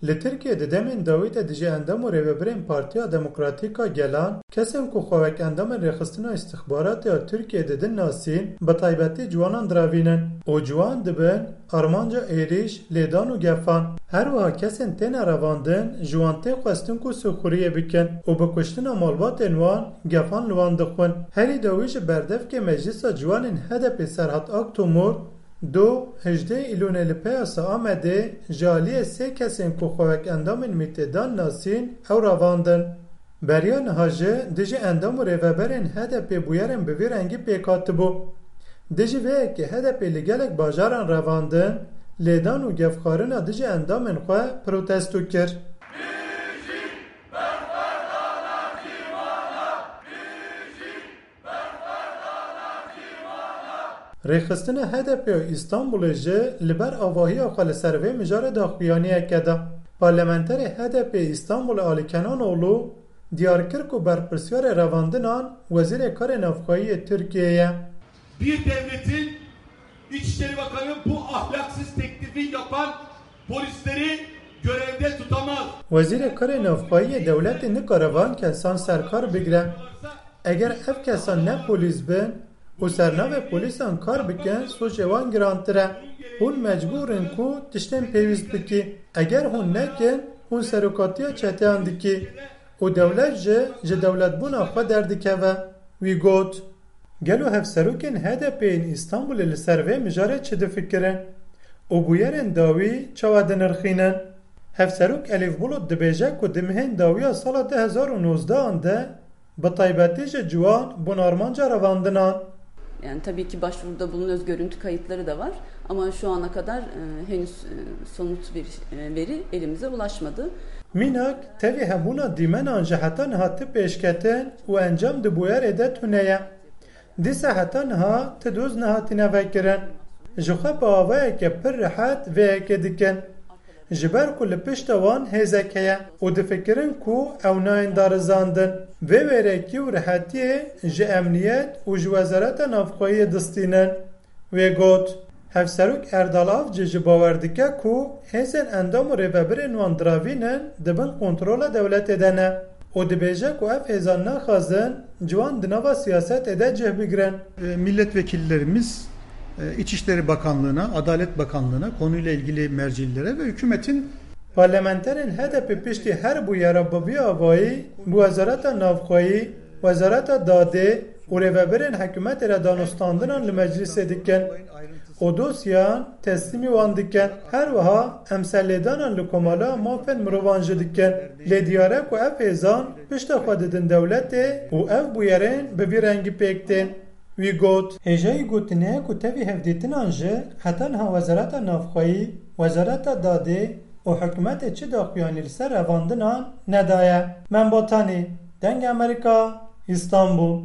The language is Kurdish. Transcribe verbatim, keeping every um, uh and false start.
Li Tirkiyê di demên dawî de dijî endam û rêvebirên Partiya Demokratîk a Gelan, kesên ku xwe wek endamên Rêxistina Îstixbaratê ya Tirkiyê didin nasîn, bi taybetî ciwanan diravînin û ciwan dibin armanca êrîş, lêdan û gefan. Her wiha kesên têne revandin, ji wan tê xwestin ku sîxuriyê bikin û bi kuştina malbatên wan gefan li wan dixwin. Herî dawî ji berdevkê Meclisa Ciwanên H D P Serhat Aktomur, Do, hejdeh Îlonê li Peyasa Amedê ji aliyê sê kesên ku xwe wek endamên mîtê dan nasîn, ew revandin. Beriya niha jî dijî endam û rêveberên H D P bûyerên bi vî rengî pêk hatibû. Dijî vê yekê H D P li gelek bajaran revandin, lêdan û gefxwarina dijî endamên xwe protesto kir. Rêxistina H D P ya Îstanbulê jî li ber avahiya xwe li ser vê mijarê daxuyaniyeke da. Parlamenterê H D P Îstanbulê Ali Kenanoğlu diyar kir ku berpirsyarê revandinan Wezîrê Karê Navxweyî yê Tirkiyê ye. Bir devletin İçişleri Bakanı bu ahlaksız teklifi yapan polisleri görevde tutamaz. Wezîrê Karê Navxweyî yê dewletê nikare van kesan ser kar bigire. Eger ev kesan ne polîs bin û ser navê polîsan kar bikin, sûcê wan girantir e. Hûn mecbûr in ku tiştên pêwîst bikî. Eger hûn nekin, hûn serokatiya çeteyan dikî û dewlet jî ji dewletbûna xwe derdikeve. Wî got, Gelo hevserokên H D P yên Îstanbulê li ser vê mijarê çi difikirin û bûyerên dawî çawa dinirxînin? Hevserok Elif Bulut dibêje ku di mehên dawiya sala du hezar û nozdeh an de bi taybetî ji ciwan bûn armanca revandinan. Yani tabii ki başvuruda bulunuyoruz, görüntü kayıtları da var ama şu ana kadar e, henüz e, somut bir e, veri elimize ulaşmadı. Mînak, tevî hebûna dîmenan ji heta niha ti pêşketin û encam di bûyerê de tune ye. Dîsa heta niha ti doz nehatine vekirin. Ji xwe bi avayeke pir rehet vê yekê dikin. Ji ber ku li pişta wan hêzek heye û difikirin ku ew nayên darizandin. Vê wêrekî û rehetiyê ji emniyet û ji Wezareta Navxweyiyê distînin. Wê got, Hevserok Erdal Avcı jî bawer dike ku hêzên endam û rêvebirên wan diravînin di bin kontrola dewletê de ne û dibêje ku ev hêzan naxwazin ciwan di nava siyasetê de cih bigrin. E, milletvekillerimiz, e, İçişleri Bakanlığı'na, Adalet Bakanlığı'na, konuyla ilgili mercilere ve hükümetin Parlamenterên H D P piştî her bûyera bi vî avayî bi Wezareta Navxweyî, Wezareta Dadê û rêvebirên hikûmetê re danûstandinan li meclîsê dikin û dosyan teslîmî wan dikin. Her wiha em serlêdanan li Komala Mafên Mirovan jî dikin. Lê diyar e ku ev hêzan pişta xwe didin dewletê û ev bûyerên bi vî rengî pêk tên. Wî got, Hêjayî gotinê ye ku tevî hevdîtinan jî heta niha Wezareta Navxweyî, Wezareta Dadê û hikûmetê çi daxuyanî li ser revandinan nedaye. Mem Batanî, Dengê Amerîka, Îstanbul.